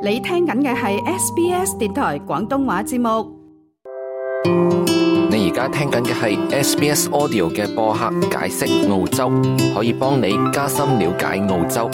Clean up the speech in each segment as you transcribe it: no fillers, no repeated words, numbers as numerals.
你聽緊嘅係 SBS 電台廣東話節目。你而家聽緊嘅係 SBS Audio 嘅播客解釋澳洲，可以幫你加深了解澳洲。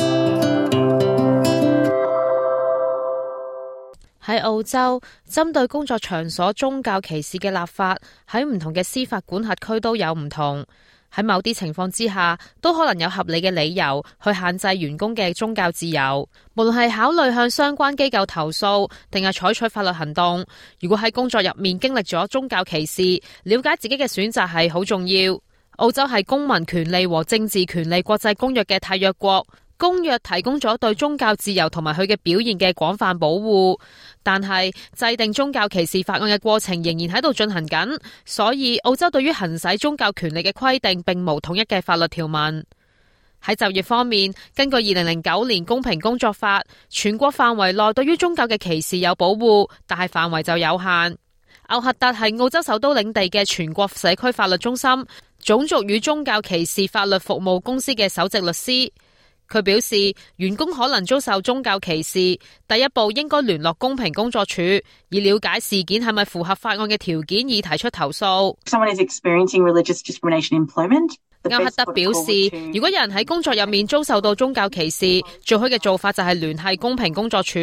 喺澳洲，針對工作場所宗教歧視嘅立法喺唔同嘅司法管轄區都有唔同。喺某啲情況之下，都可能有合理嘅理由去限制員工嘅宗教自由。無論係考慮向相關機構投訴，定係採取法律行動，如果喺工作入面經歷咗宗教歧視，了解自己嘅選擇係好重要。澳洲係公民權利和政治權利國際公約嘅締約國。公約提供咗對宗教自由同埋佢嘅表現嘅廣泛保護，但係制定宗教歧視法案嘅過程仍然喺度進行緊，所以澳洲對於行使宗教權利嘅規定並無統一嘅法律條文。喺就業方面，根據2009年公平工作法，全國範圍內對於宗教嘅歧視有保護，但係範圍就有限。奧克特係澳洲首都領地嘅全國社區法律中心，種族與宗教歧視法律服務公司嘅首席律師。佢表示，員工可能遭受宗教歧視，第一步應該聯絡公平工作處，以了解事件係咪符合法案嘅條件，以提出投訴。歐克德表示，如果有人喺工作入面遭受到宗教歧視，最好嘅做法就係聯繫公平工作處，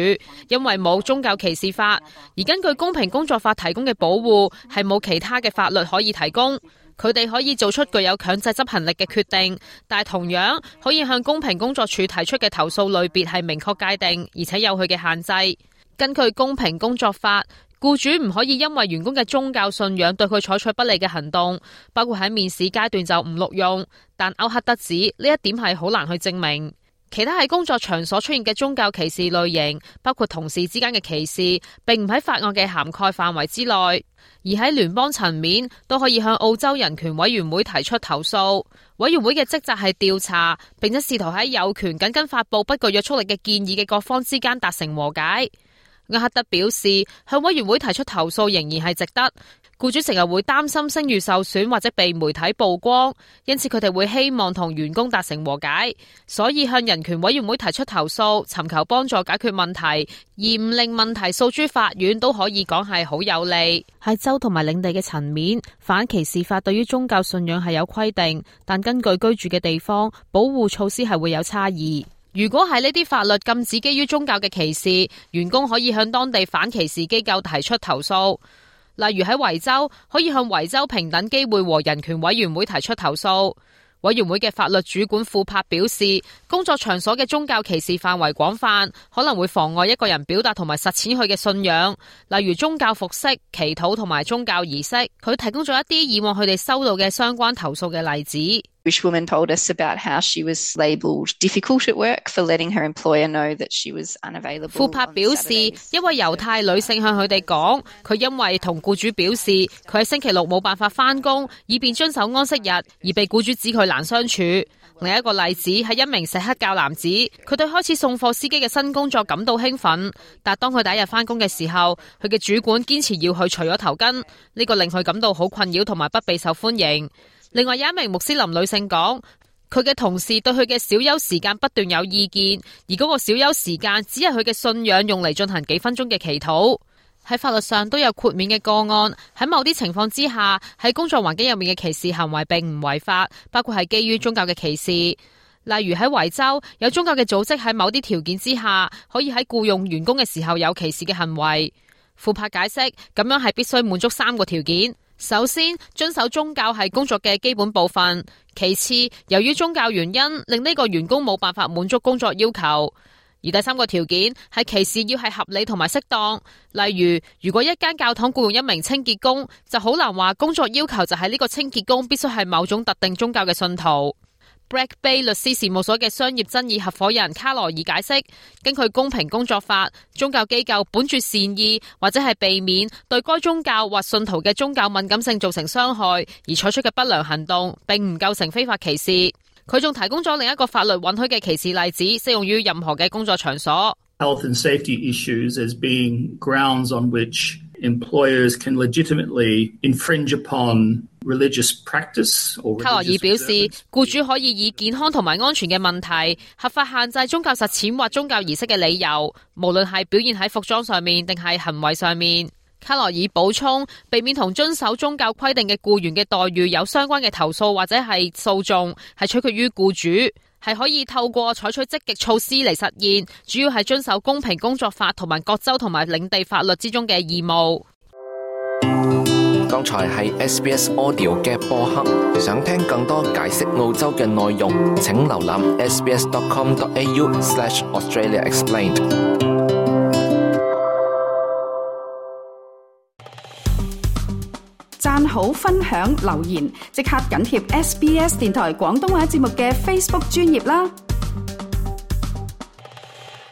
因為冇宗教歧視法，而根據公平工作法提供嘅保護，係冇其他嘅法律可以提供。佢哋可以做出具有強制執行力嘅決定，但係同樣可以向公平工作處提出嘅投訴類別係明確界定，而且有佢嘅限制。根據公平工作法，僱主唔可以因為員工嘅宗教信仰對佢採取不利嘅行動，包括喺面試階段就唔錄用。但歐克德指呢一點係好難去證明。其他喺工作場所出現嘅宗教歧視類型，包括同事之間嘅歧視，並唔喺法案嘅涵蓋範圍之內。而喺聯邦層面，都可以向澳洲人權委員會提出投訴。委員會嘅職責係調查，並且試圖喺有權緊跟發佈不具約束力嘅建議嘅各方之間達成和解。亞克德表示，向委員會提出投訴仍然係值得。僱主成日會擔心聲譽受損或者被媒體曝光，因此佢哋會希望同員工達成和解，所以向人權委員會提出投訴，尋求幫助解決問題，而唔令問題訴諸法院，都可以講係好有利。喺州同埋領地嘅層面，反歧視法對於宗教信仰係有規定，但根據居住嘅地方，保護措施係會有差異。如果係呢啲法律禁止基於宗教嘅歧視，員工可以向當地反歧視機構提出投訴。例如喺維州，可以向維州平等機會和人權委員會提出投訴。委員會嘅法律主管庫珀表示，工作場所嘅宗教歧視範圍廣泛，可能會妨礙一個人表達同埋實踐佢嘅信仰，例如宗教服飾、祈禱同埋宗教儀式。佢提供咗一啲以往佢哋收到嘅相關投訴嘅例子。Woman told us about how she was labelled difficult at work for letting her employer know that she was unavailable. 庫珀表示，一位猶太女性向佢哋講，佢因為同僱主表示佢喺星期六冇辦法返工，以便遵守安息日，而被僱主指佢難相處。另一個例子係一名錫克教男子，佢對開始送貨司機嘅新工作感到興奮，但當佢第一日返工嘅時候，佢嘅主管堅持要佢除咗頭巾，呢個令佢感到好困擾同埋不被受歡迎。另外有一名穆斯林女性講，佢嘅同事對佢嘅小休時間不斷有意見，而嗰個小休時間只係佢嘅信仰用嚟進行幾分鐘嘅祈禱。喺法律上都有豁免嘅個案，喺某啲情況之下，喺工作環境入面嘅歧視行為並唔違法，包括係基於宗教嘅歧視。例如喺維州，有宗教嘅組織喺某啲條件之下，可以喺僱用員工嘅時候有歧視嘅行為。庫珀解釋，咁樣係必須滿足3個條件。首先，遵守宗教係工作嘅基本部分。其次，由於宗教原因，令呢個員工冇辦法滿足工作要求。而第3個條件係歧視要係合理同埋適當。例如，如果一間教堂僱用一名清潔工，就好難話工作要求就係呢個清潔工必須係某種特定宗教嘅信徒。Black Bay 律師事務所嘅商業爭議合夥人卡羅爾解釋，根據公平工作法，宗教機構本住善意或者係避免對該宗教或信徒嘅宗教敏感性造成傷害而採取嘅不良行動，並唔構成非法歧視。佢仲提供咗另一個法律允許嘅歧視例子，適用於任何嘅工作場所。Health and safety issues as being grounds on which employers can legitimately infringe upon religious practice or 卡羅爾 religious 表示， observance. 僱主可以以健康同埋安全嘅問題，合法限制宗教實踐或宗教儀式嘅理由，無論係表現喺服裝上面定係行為上面。卡羅爾補充，避免同遵守宗教規定嘅僱員嘅待遇有相關嘅投訴或者係訴訟，係取決於僱主，係可以透過採取積極措施嚟實現，主要係遵守公平工作法同埋各州同埋領地法律之中嘅義務。剛才係 SBS Audio 嘅播客，想聽更多解釋澳洲嘅內容，請瀏覽 sbs.com.au/AustraliaExplained。讚好、分享、留言，即刻緊貼SBS 電台廣東話節目嘅 Facebook 專頁啦！